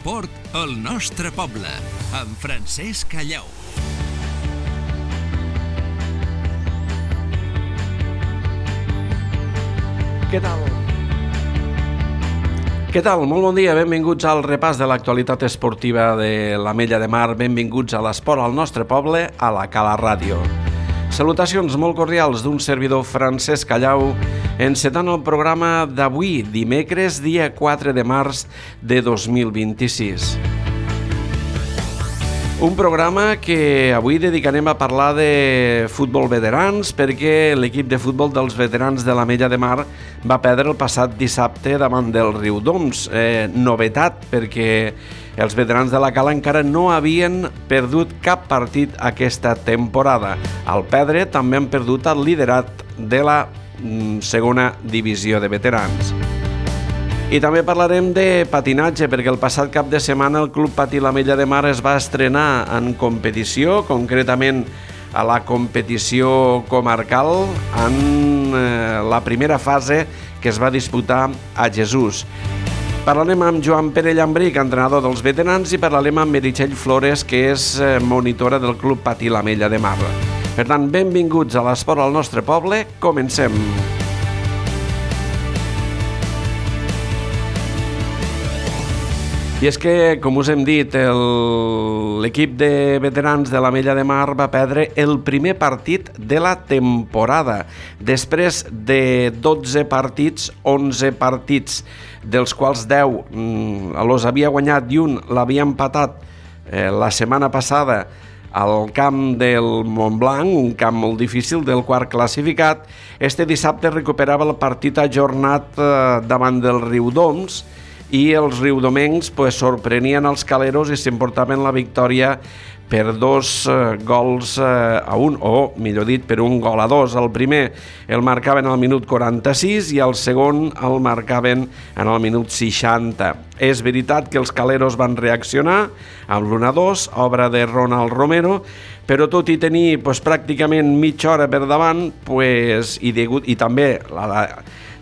l'esport al nostre poble, amb Francesc Callau. Què tal? Què tal? Molt bon dia, benvinguts al repàs de l'actualitat esportiva de l'Ametlla de Mar, benvinguts a l'esport al nostre poble, a la Cala Ràdio. Salutacions molt cordials d'un servidor Francesc Callau, encetant el programa d'avui, dimecres, dia 4 de març de 2026. Un programa que avui dedicarem a parlar de futbol veterans perquè l'equip de futbol dels veterans de l'Ametlla de Mar va perdre el passat dissabte davant del Riudoms. Novetat perquè els veterans de la Cala encara no havien perdut cap partit aquesta temporada. Al perdre també han perdut el liderat de la segona divisió de veterans. I també parlarem de patinatge, perquè el passat cap de setmana el Club Patí l'Ametlla de Mar es va estrenar en competició, concretament a la competició comarcal, en la primera fase que es va disputar a Jesús. Parlarem amb Joan Pere Llambric, entrenador dels veterans, i parlarem amb Meritxell Flores, que és monitora del Club Patí l'Ametlla de Mar. Per tant, benvinguts a l'esport al nostre poble, comencem. I és que, com us hem dit, l'equip de veterans de l'Ametlla de Mar va perdre el primer partit de la temporada. Després de 12 partits, 11 partits, dels quals 10 els havia guanyat i un l'havia empatat la setmana passada al camp del Montblanc, un camp molt difícil, del quart classificat. Este dissabte recuperava el partit ajornat davant del Riudoms, i els riudomencs sorprenien els caleros i s'emportaven la victòria per 2 gols a 1, o millor dit, per 1 gol a 2. El primer el marcaven al minut 46 i el segon el marcaven en el minut 60. És veritat que els caleros van reaccionar amb l'1-2, obra de Ronald Romero, però tot i tenir pràcticament mitja hora per davant, i també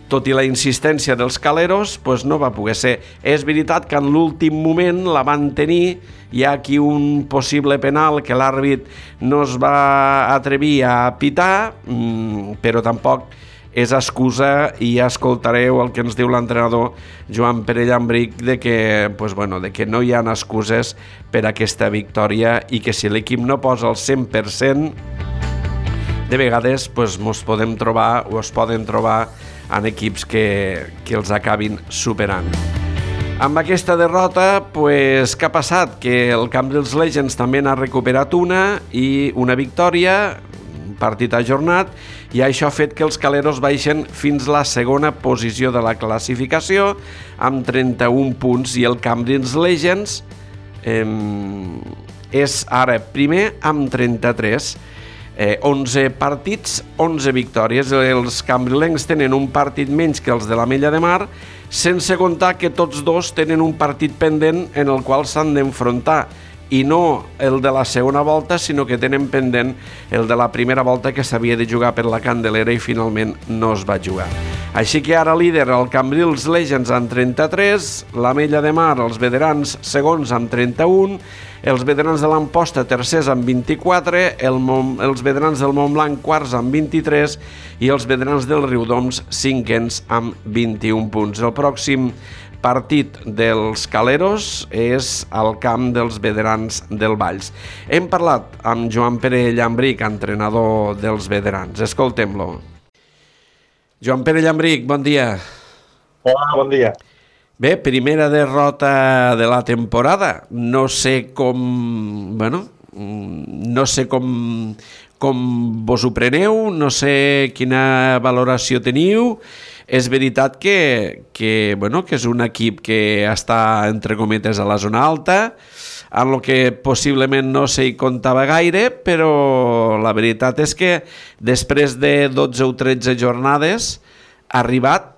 tot i la insistència dels caleros, no va poder ser. És veritat que en l'últim moment la van tenir, hi ha aquí un possible penal que l'àrbit no es va atrevir a pitar, però tampoc és excusa, i ja escoltareu el que ens diu l'entrenador Joan Pere Llambric de que no hi ha excuses per aquesta victòria i que si l'equip no posa el 100%, de vegades es poden trobar en equips que els acabin superant. Amb aquesta derrota, què ha passat? Que el Cambrils Legends també n'ha recuperat una victòria, un partit ajornat, i això ha fet que els caleros baixen fins la segona posició de la classificació amb 31 punts i el Cambrils Legends és ara primer amb 33. 11 partits, 11 victòries. Els cambrilencs tenen un partit menys que els de l'Ametlla de Mar, sense comptar que tots dos tenen un partit pendent en el qual s'han d'enfrontar, i no el de la segona volta, sinó que tenen pendent el de la primera volta, que s'havia de jugar per la Candelera i finalment no es va jugar. Així que ara líder el Cambrils Legends amb 33, l'Ametlla de Mar, els veterans segons amb 31, els veterans de l'Amposta tercers amb 24, els veterans del Montblanc quarts amb 23 i els veterans del Riudoms cinquens amb 21 punts. El pròxim partit dels caleros és al camp dels veterans del Valls. Hem parlat amb Joan Pere Llambric, entrenador dels veterans. Escoltem-lo. Joan Pere Llambric, bon dia. Hola, bon dia. Bé, primera derrota de la temporada. No sé com vos ho preneu, no sé quina valoració teniu. És veritat que és un equip que està, entre cometes, a la zona alta, en el que possiblement no s'hi comptava gaire, però la veritat és que després de 12 o 13 jornades ha arribat,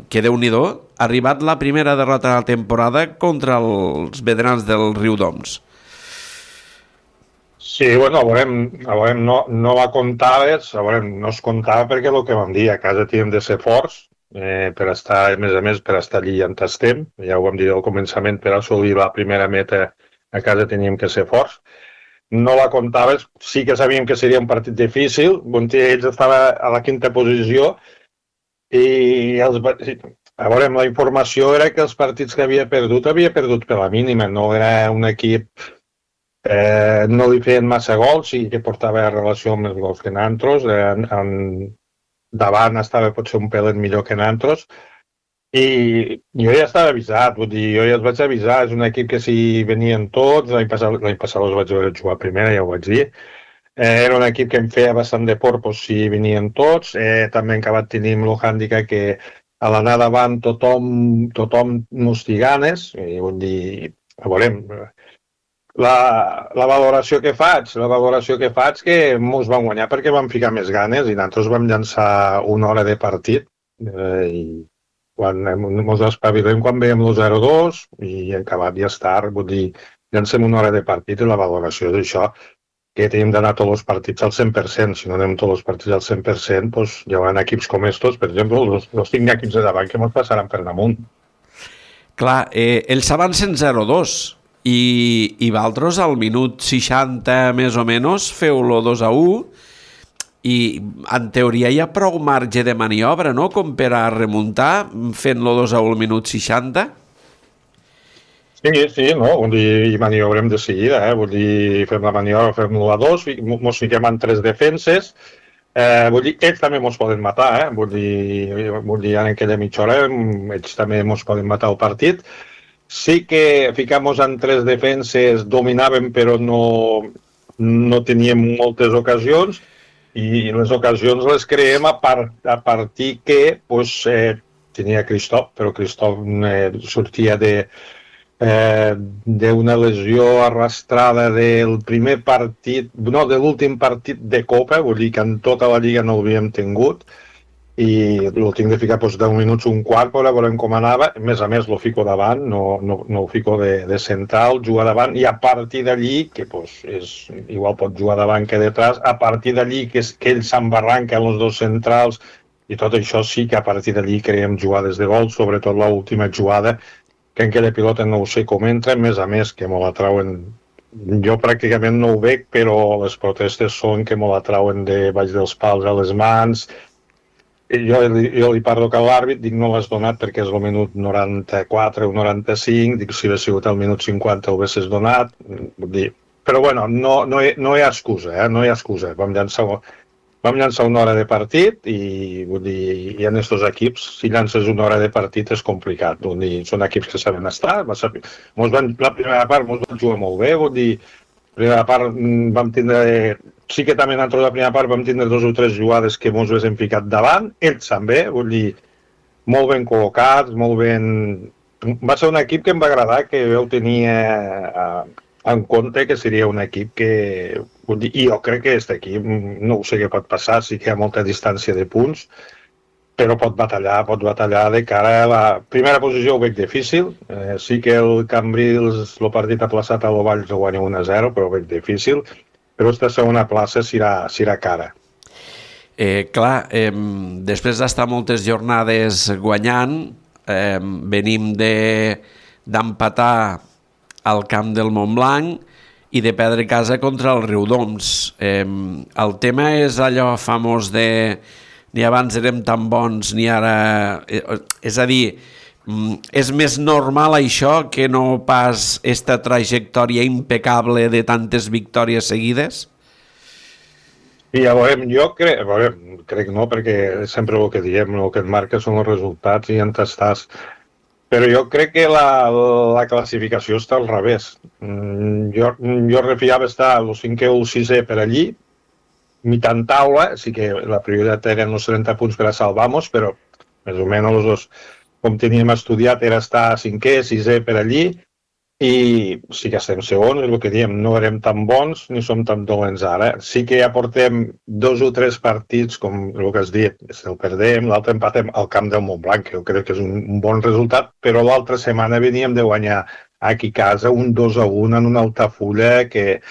que Déu-n'hi-do, ha arribat la primera derrota de la temporada contra els veterans del Riudoms. Sí, a veurem, no la comptaves, no es comptava perquè el que vam dir, a casa tenen de ser forts, per estar, a més, per estar allí on estem. Ja ho vam dir al començament, per assolir la primera meta a casa teníem que ser forts. No la comptaves, sí que sabíem que seria un partit difícil, ells estava a la quinta posició i a veure, la informació era que els partits que havia perdut per la mínima, no era un equip, no li feien massa gols i que portava relació amb els gols que nosaltres, davant estava potser un pelet millor que nosaltres, i jo ja estava avisat, vull dir, jo ja els vaig avisar, és un equip que si venien tots, l'any passat els vaig veure jugar a primera, ja ho vaig dir, era un equip que em feia bastant de por si venien tots, també hem acabat tenint el hàndicap que a l'anar davant tothom mos té ganes, i vull dir, veurem, la valoració que faig que mos van guanyar perquè vam ficar més ganes i nosaltres vam llançar una hora de partit i quan mos espavilem quan veiem el 0-2 i acabat ja és tard, vull dir, llancem una hora de partit i la valoració és això, que tenim d'anar tots els partits al 100%, si no anem tots els partits al 100%, doncs hi haurà equips com estos, per exemple, els 5 equips de davant que ens passaran per damunt. Clar, ells avancen 0-2 i vosaltres al minut 60 més o menys feu-lo 2-1 i en teoria hi ha prou marge de maniobra, no?, com per a remuntar fent-lo 2-1 al minut 60. Sí, no? Vull dir, i maniobrem de seguida, vull dir, fem la maniobra, fem l'1-2, mos fiquem en 3 defenses, vull dir, ells també mos poden matar, vull dir, en aquella mitja hora ells també mos poden matar el partit. Sí que ficam-nos en 3 defenses, dominàvem però no teníem moltes ocasions i les ocasions les creem a partir que tenia Cristof, però Cristof sortia d'una lesió arrastrada del primer partit, no, de l'últim partit de Copa, vull dir que en tota la Lliga no l'havíem tingut i el tinc de ficar 10 minuts, un quart, per veure com anava, a més lo fico davant, no ho fico de central, jugar davant i a partir d'allí, que igual pot jugar davant que detrás, a partir d'allí que ell s'embarranca en els dos centrals i tot això sí que a partir d'allí creem jugades de gol, sobretot l'última jugada que en aquella pilota no ho sé com entra, a més que me la trauen, jo pràcticament no ho veig, però les protestes són que me la trauen de baix dels pals a les mans. Jo li parlo que a l'àrbit, dic no l'has donat perquè és el minut 94 o 95, dic si hagués sigut el minut 50 ho haguessis donat, però bueno, no hi ha excusa, no hi ha excusa, vam llançar una hora de partit i vull dir, hi ha estos equips, si llances una hora de partit és complicat, vull dir, són equips que saben estar, la primera part mos van jugar molt bé, vull dir, la primera part vam tindre, sí que també nosaltres la primera part vam tindre 2 o 3 jugades que mos hem ficat davant, ells també, vull dir, molt ben col·locats, molt ben... Va ser un equip que em va agradar, que jo tenia en compte que seria un equip que... I jo crec que aquest equip, no ho sé què pot passar, sí que hi ha molta distància de punts, però pot batallar de cara a la primera posició, ho veig difícil. Sí que el Cambrils, el partit aplaçat a l'Ovalls, ho guanya 1-0, però ho veig difícil. Però aquesta segona plaça serà cara. Clar, després d'estar moltes jornades guanyant, venim d'empatar al camp del Montblanc i de perdre casa contra el Riudoms. El tema és allò famós de ni abans érem tan bons ni ara... És a dir, és més normal això que no pas esta trajectòria impecable de tantes victòries seguides? Sí, ja veurem, crec no, perquè sempre el que diem, el que et marca són els resultats i on estàs. Però jo crec que la classificació està al revés. Jo refiava estar el 5è o el 6è per allí, mitjan taula, sí que la prioritat eren els 30 punts per a salvar-nos, però més o menys com teníem estudiat era estar 5è, 6è per allí, i sí que estem segons, és el que diem, no érem tan bons ni som tan dolents ara. Sí que ja portem 2 o 3 partits, com el que has dit, el perdem, l'altre empatem al camp del Montblanc, que jo crec que és un bon resultat, però l'altra setmana veníem de guanyar aquí a casa un 2-1 en una Altafulla que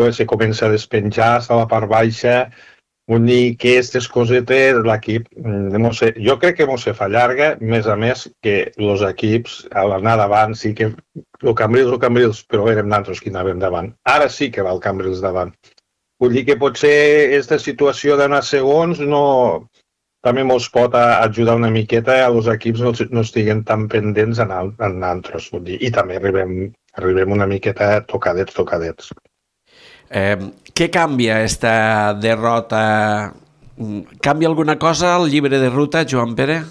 se comença a despenjar, està a la part baixa, Vull dir que aquestes cosetes l'equip, no sé, jo crec que no se fa llarga, més a més que els equips a l'anar davant sí que el Cambrils, però érem nosaltres qui anàvem davant. Ara sí que va el Cambrils davant. Vull dir que potser aquesta situació d'anar segons també ens pot ajudar una miqueta a els equips no estiguen tan pendents en altres. Vull dir, i també arribem una miqueta tocadets. Què canvia aquesta derrota? Canvia alguna cosa al llibre de ruta, Joan Pere?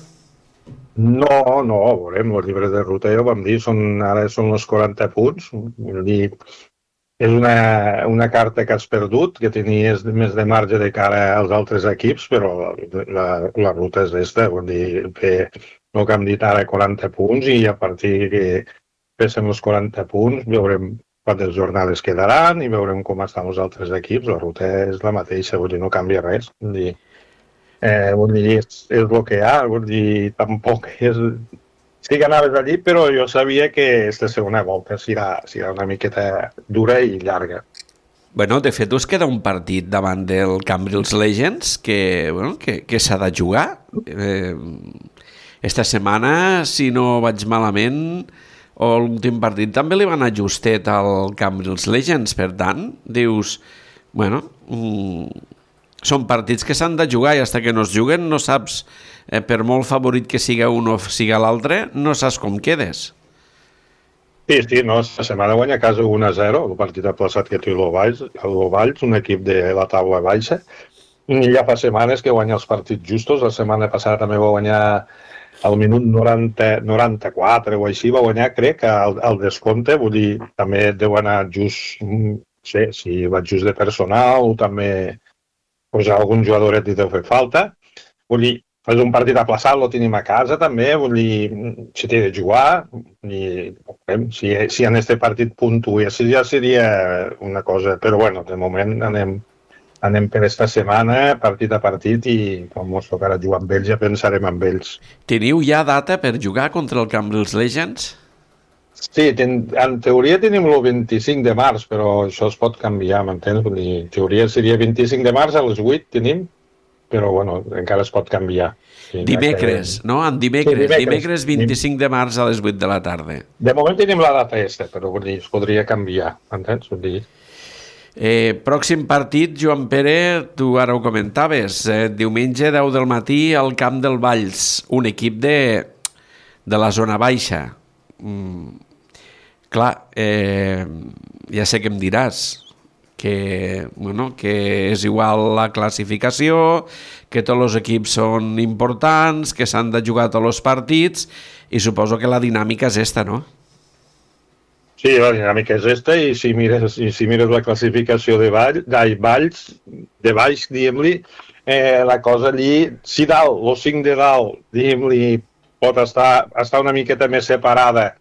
No, veurem, el llibre de ruta ja ho vam dir, ara són els 40 punts, vull dir, és una carta que has perdut, que tenies més de marge de cara als altres equips, però la ruta és aquesta, vull dir, fer el que hem dit ara, 40 punts, i a partir que féssim els 40 punts, veurem quantes jornades quedaran i veurem com estan els altres equips. La ruta és la mateixa, vull dir, no canvia res. Vull dir, és el que hi ha, vull dir, tampoc és... Sí que anaves allí, però jo sabia que aquesta segona volta serà una miqueta dura i llarga. Bueno, de fet, us queda un partit davant del Cambrils Legends que s'ha de jugar. Esta setmana, si no vaig malament, o l'últim partit també li van anar justet al Cambrils Legends, per tant, dius, bueno, són partits que s'han de jugar i fins que no es juguen no saps, per molt favorit que siga un o siga l'altre, no saps com quedes. Sí, no, la setmana guanya a casa 1-0, el partit aplaçat que té l'Ovalls, un equip de la taula baixa, i ja fa setmanes que guanya els partits justos. La setmana passada també va guanyar al minut 94 o així, va guanyar, crec, al descompte, vull dir, també deu anar just, no sé, si va just de personal o també pues, algun jugadoret li deu fer falta. Vull dir, és un partit aplaçat, lo tenim a casa també, vull dir, si té de jugar, i si en este partit puntua, ja seria una cosa, però bueno, de moment anem per esta setmana, partit a partit, i quan ens tocarà jugar amb ells ja pensarem amb ells. Teniu ja data per jugar contra el Cambrils Legends? Sí, en teoria tenim el 25 de març, però això es pot canviar, m'entens? En teoria seria 25 de març a les 8 tenim, però bueno, encara es pot canviar. Sí, dimecres, no? En dimecres 25 de març a les 8 de la tarda. De moment tenim la data aquesta, però vull dir, es podria canviar, m'entens? Vull dir... Pròxim partit, Joan Pere, tu ara ho comentaves, diumenge 10 del matí al Camp del Valls, un equip de la zona baixa. Clar, ja sé que em diràs que és igual la classificació, que tots els equips són importants, que s'han de jugar tots els partits, i suposo que la dinàmica és esta, no? Sí, la dinàmica és esta, i si mires la classificació de Valls, diguem-li, la cosa allí, si dalt, els 5 de dalt, diguem-li, pot estar una miqueta més separada,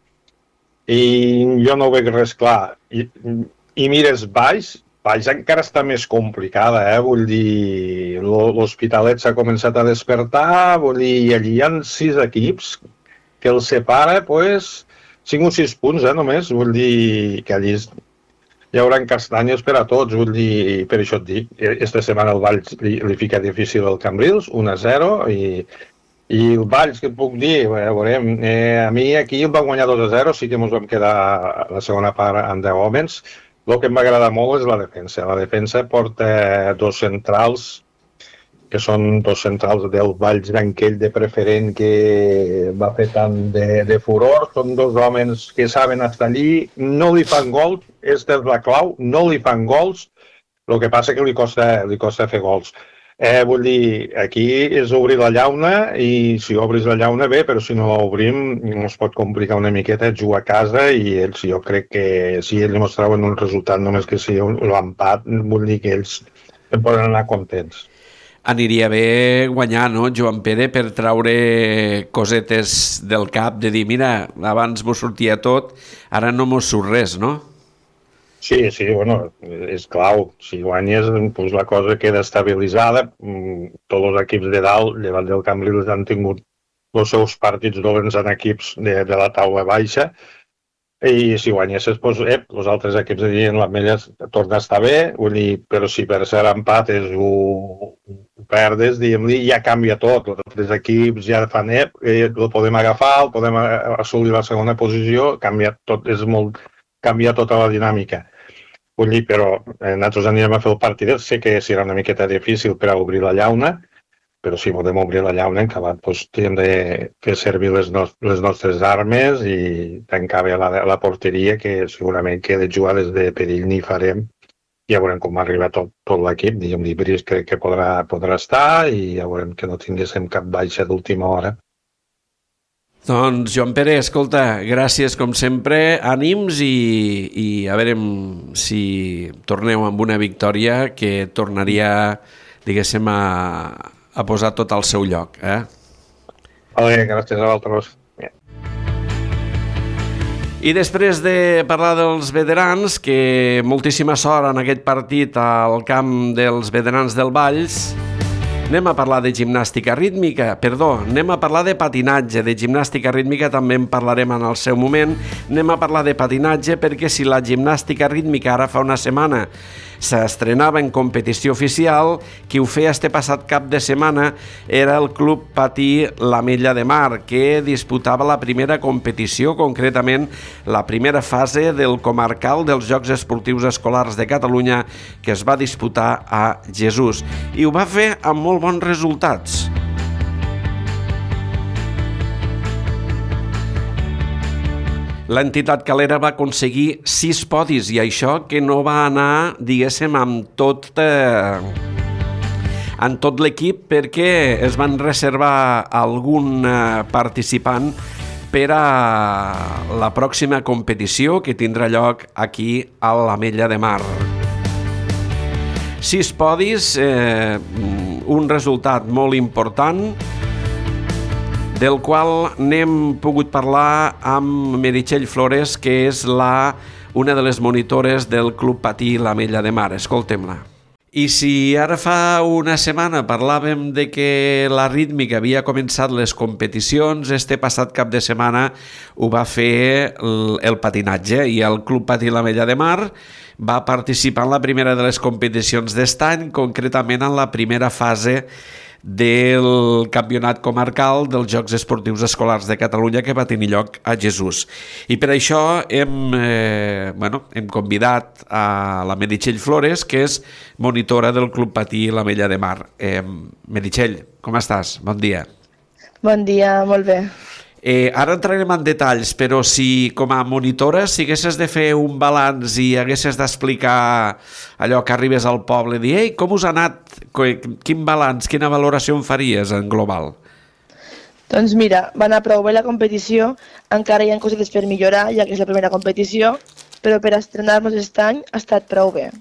i jo no ho veig res clar. I mires Valls encara està més complicada, vull dir, l'Hospitalet s'ha començat a despertar, vull dir, i allí hi ha 6 equips que els separa, doncs, 5 o 6 punts, només, vull dir que allí hi haurà castanyes per a tots, vull dir, per això et dic, esta setmana el Valls li fica difícil el Cambrils, 1-0, i el Valls, que et puc dir, veurem, a mi aquí em va guanyar 2-0, sí que ens vam quedar la segona part amb 10 homes. El que m'agrada molt és la defensa. La defensa porta 2 centrals, que són 2 centrals del Valls Branquell de preferent que va fer tant de furor. Són 2 homes que saben estar allí, no li fan gols, aquesta és la clau, no li fan gols, el que passa que li costa fer gols. Vull dir, aquí és obrir la llauna, i si obris la llauna bé, però si no l'obrim ens pot complicar una miqueta jugar a casa, i ells, jo crec que si ells mostraven un resultat només que sigui l'empat, vull dir que ells poden anar contents. Aniria bé guanyar, no, Joan Pere, per traure cosetes del cap, de dir, mira, abans mos sortia tot, ara no mos surt res, no? Sí, bueno, és clau. Si guanyes, doncs la cosa queda estabilitzada. Tots els equips de dalt, llevat del Cambrils, han tingut els seus partits dolents en equips de la taula baixa, I si guanyessis, doncs, els altres equips dirien l'Ametlla torna a estar bé, vull dir, però si per ser empates ho perdes, diguem-li, ja canvia tot. Els altres equips ja fan, el podem agafar, el podem assolir la segona posició, canvia tot, canvia tota la dinàmica. Vull dir, però nosaltres anirem a fer el partit, sé que serà una miqueta difícil per a obrir la llauna, però si podem obrir la llauna, en acabat, doncs, hem de fer servir les nostres armes i tancar bé la porteria, que segurament que de jugades de perill n'hi farem. Ja veurem com arriba tot l'equip. Diguem-li, Brice crec que podrà estar i ja veurem que no tinguéssim cap baixa d'última hora. Doncs, Joan Pere, escolta, gràcies com sempre, ànims i a veure si torneu amb una victòria que tornaria, diguéssim, a posar tot al seu lloc. Vale, gràcies a vosaltres. I després de parlar dels veterans, que moltíssima sort en aquest partit al camp dels veterans del Valls, anem a parlar de gimnàstica rítmica, anem a parlar de patinatge, de gimnàstica rítmica també en parlarem en el seu moment, anem a parlar de patinatge perquè si la gimnàstica rítmica ara fa una setmana s'estrenava en competició oficial, qui ho feia este passat cap de setmana era el Club Patí l'Ametlla de Mar, que disputava la primera competició, concretament la primera fase del comarcal dels Jocs Esportius Escolars de Catalunya, que es va disputar a Jesús. I ho va fer amb molt bons resultats. L'entitat calera va aconseguir 6 podis i això que no va anar, diguéssim, amb tot l'equip perquè es van reservar algun participant per a la pròxima competició que tindrà lloc aquí a l'Ametlla de Mar. 6 podis, un resultat molt important, del qual n'hem pogut parlar amb Meritxell Flores, que és una de les monitores del Club Patí l'Ametlla de Mar. Escoltem-la. I si ara fa una setmana parlàvem de que la rítmica havia començat les competicions, este passat cap de setmana ho va fer el patinatge i el Club Patí l'Ametlla de Mar va participar en la primera de les competicions d'est any, concretament en la primera fase del campionat comarcal dels Jocs Esportius Escolars de Catalunya que va tenir lloc a Jesús. I per això hem convidat a la Meritxell Flores, que és monitora del Club Patí l'Ametlla de Mar. Meritxell, com estàs? Bon dia. Bon dia, molt bé. Ara entrarem en detalls, però si com a monitora si haguessis de fer un balanç i haguessis d'explicar allò que arribes al poble, dir, ei, com us ha anat? Quin balanç, quina valoració en faries en global? Doncs mira, va anar prou bé la competició, encara hi ha cosetes per millorar, ja que és la primera competició, però per estrenar-nos aquest any ha estat prou bé.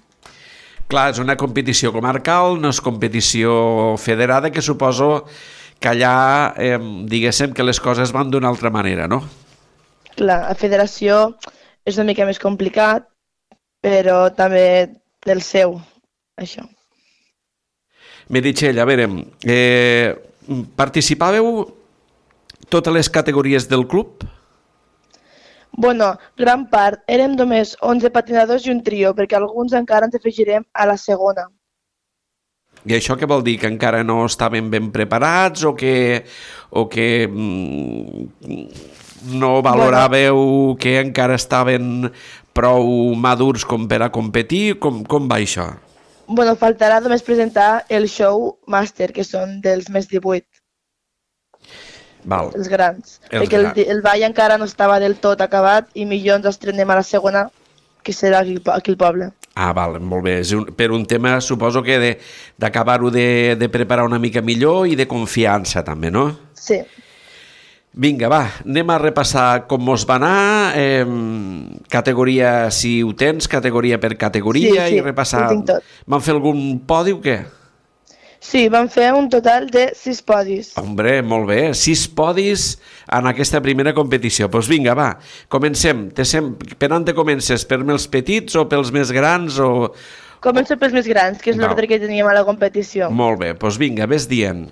Clar, és una competició comarcal, no és competició federada, que suposo que allà, diguéssim, que les coses van d'una altra manera, no? Clar, la federació és una mica més complicat, però també del seu, això. Meritxell, a veure, participàveu totes les categories del club? Bueno, gran part. Érem només 11 patinadors i un trio, perquè alguns encara ens afegirem a la segona. I això què vol dir? Que encara no estaven ben preparats o que no valoràveu que encara estaven prou madurs com per a competir? Com va això? Bueno, faltarà només presentar el show màster, que són dels més 18. Val. Els grans. Perquè el ball encara no estava del tot acabat i millor ens estrenem a la segona, que serà aquí al poble. Ah, val, molt bé. És per un tema, suposo que d'acabar-ho de preparar una mica millor i de confiança també, no? Sí. Vinga, va, anem a repassar com mos va anar, categoria, si ho tens, categoria per categoria, sí, i repassar... ho tinc tot. Van fer algun podi o què? Sí, vam fer un total de 6 podis. Hombre, molt bé, 6 podis en aquesta primera competició. Doncs vinga, va, comencem. Per on te comences? Per els petits o pels més grans? Començo pels més grans, que és l'ordre que teníem a la competició. Molt bé, doncs vinga, ves dient.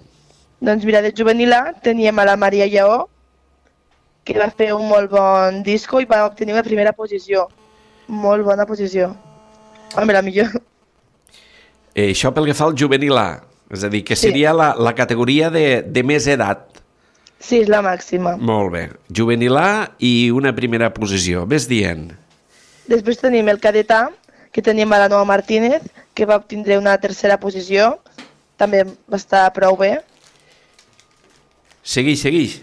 Doncs mira, de juvenil A teníem a la Maria Lleó, que va fer un molt bon disco i va obtenir la primera posició. Molt bona posició. Home, la millor. Això pel que fa al juvenil A, és a dir, que seria la categoria de més edat. Sí, és la màxima. Molt bé. Juvenil A i una primera posició. Ves dient. Després tenim el cadet A, que tenim a la Noa Martínez, que va obtindre una tercera posició. També va estar prou bé. Seguix. Sí.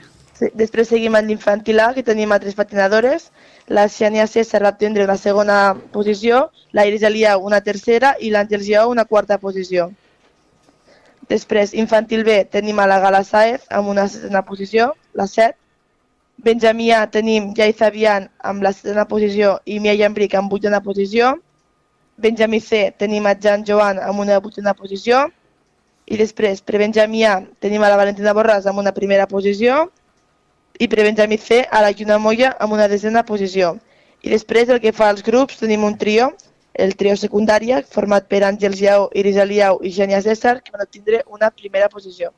Després seguim amb l'infantil A, que tenim a 3 patinadores. La Xènia César va obtindre una segona posició, la Iris Eliau una tercera i l'Àngels Lleó una quarta posició. Després, infantil B, tenim a la Gala Saez amb una setena posició, la 7. Benjamí A tenim Jai Zabian amb la setena posició i Mia Llambric amb vuitena posició. Benjamí C tenim a Jan Joan amb una vuitena posició. I després, per Benjamí A tenim a la Valentina Borràs amb una primera posició. I per Benjamí C a la Lluna Moya amb una desena posició. I després, el que fa als grups, tenim un trio, el trio secundària, format per Àngels Lleó, Iris Eliau i Xènia César, que van obtindre una primera posició.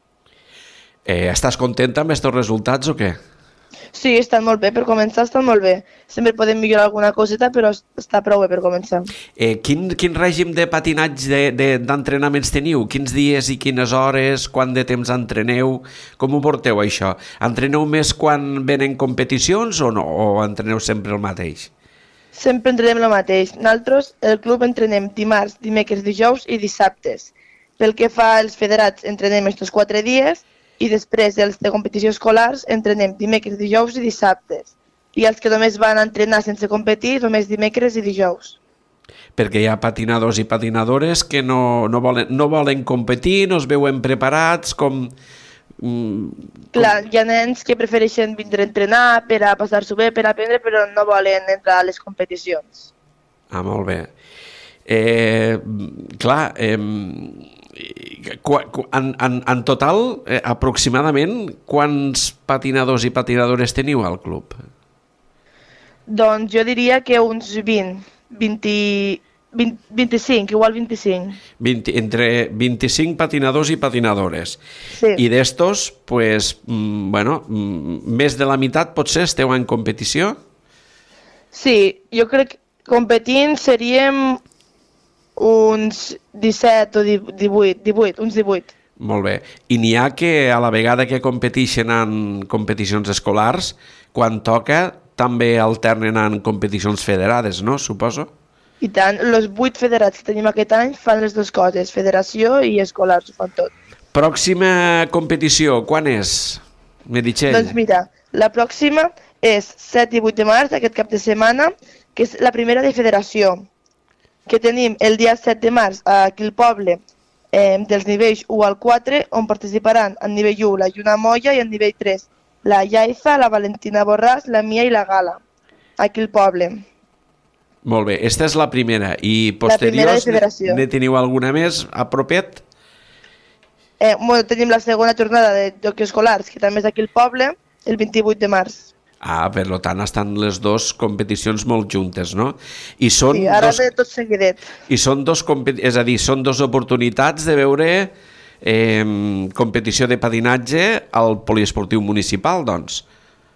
Estàs contenta amb aquests resultats o què? Sí, estan molt bé, per començar estan molt bé. Sempre podem millorar alguna coseta, però està prou bé per començar. Quin règim de patinatge d'entrenaments teniu? Quins dies i quines hores? Quant de temps entreneu? Com ho porteu, això? Entreneu més quan venen competicions o no? O entreneu sempre el mateix? Sempre entrenem el mateix. Nosaltres, el club, entrenem dimarts, dimecres, dijous i dissabtes. Pel que fa als federats, entrenem estos 4 dies i després els de competició escolars entrenem dimecres, dijous i dissabtes. I els que només van a entrenar sense competir, només dimecres i dijous. Perquè hi ha patinadors i patinadores que no volen competir, no es veuen preparats, com... Clar, hi ha nens que prefereixen vindre a entrenar per a passar-s'ho bé, per a aprendre, però no volen entrar a les competicions. Ah, molt bé. Clar, en total, aproximadament, quants patinadors i patinadores teniu al club? Doncs jo diria que uns 25, igual 25. Entre 25 patinadors i patinadores. Sí. I d'estos, pues, més de la meitat potser esteu en competició? Sí, jo crec que competint seríem uns 17 o 18, uns 18. Molt bé. I n'hi ha que a la vegada que competeixen en competicions escolars, quan toca també alternen en competicions federades, no? Suposo? I tant, els 8 federats que tenim aquest any fan les dues coses, federació i escolars, ho fan tot. Pròxima competició, quan és, Meritxell? Doncs mira, la pròxima és 7 i 8 de març, aquest cap de setmana, que és la primera de federació, que tenim el dia 7 de març aquí al poble dels nivells 1 al 4, on participaran en nivell 1 la Lluna Moya i en nivell 3 la Yaiza, la Valentina Borràs, la Mia i la Gala, aquí al poble. Molt bé, esta és la primera. I posteriors ne teniu alguna més a propet? Tenim la segona jornada de Jocs Escolars, que també és aquí al poble, el 28 de març. Ah, per tant estan les dues competicions molt juntes, no? I són sí, ara ve tot seguidet. I són és a dir, són dues oportunitats de veure competició de patinatge al poliesportiu municipal, doncs.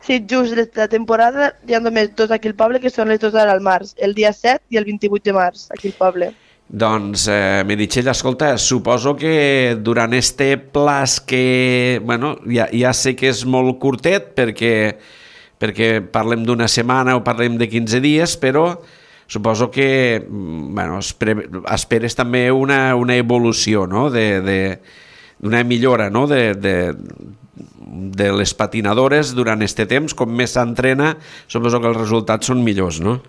Sí, just la temporada hi ha només dos aquí al poble, que són les dues ara al març, el dia 7 i el 28 de març, aquí al poble. Doncs, Meritxell, escolta, suposo que durant este plaç que, ja sé que és molt curtet, perquè parlem d'una setmana o parlem de 15 dies, però suposo que esperes també una evolució, no? D'una millora, no? De les patinadores durant aquest temps, com més s'entrena, suposo que els resultats són millors, no?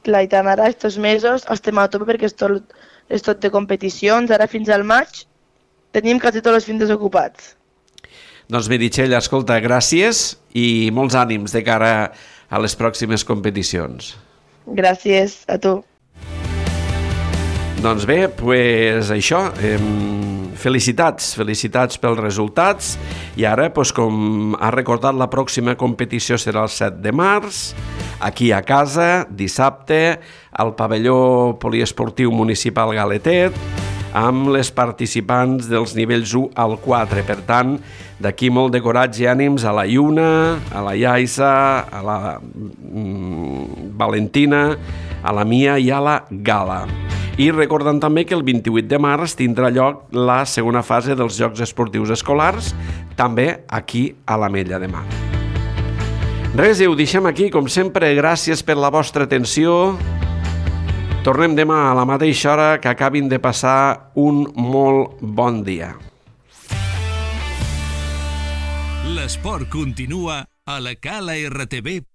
Clar, i tant, ara aquests mesos estem a tope perquè és tot de competicions, ara fins al maig tenim quasi tots els fins desocupats. Doncs Meritxell, escolta, gràcies i molts ànims de cara a les pròximes competicions. Gràcies a tu. Doncs bé, doncs això, felicitats pels resultats i ara, com ha recordat, la pròxima competició serà el 7 de març, aquí a casa, dissabte, al pavelló poliesportiu municipal Galetet, amb les participants dels nivells 1 al 4. Per tant, d'aquí molt de coratge i ànims a la Iuna, a la Yaisa, a la Valentina, a la Mia i a la Gala. I recordant també que el 28 de març tindrà lloc la segona fase dels Jocs Esportius Escolars, també aquí a l'Ametlla de Mar. Res, ho deixem aquí, com sempre, gràcies per la vostra atenció. Tornem demà a la mateixa hora, que acabin de passar un molt bon dia. L'esport continua a la calartv.cat.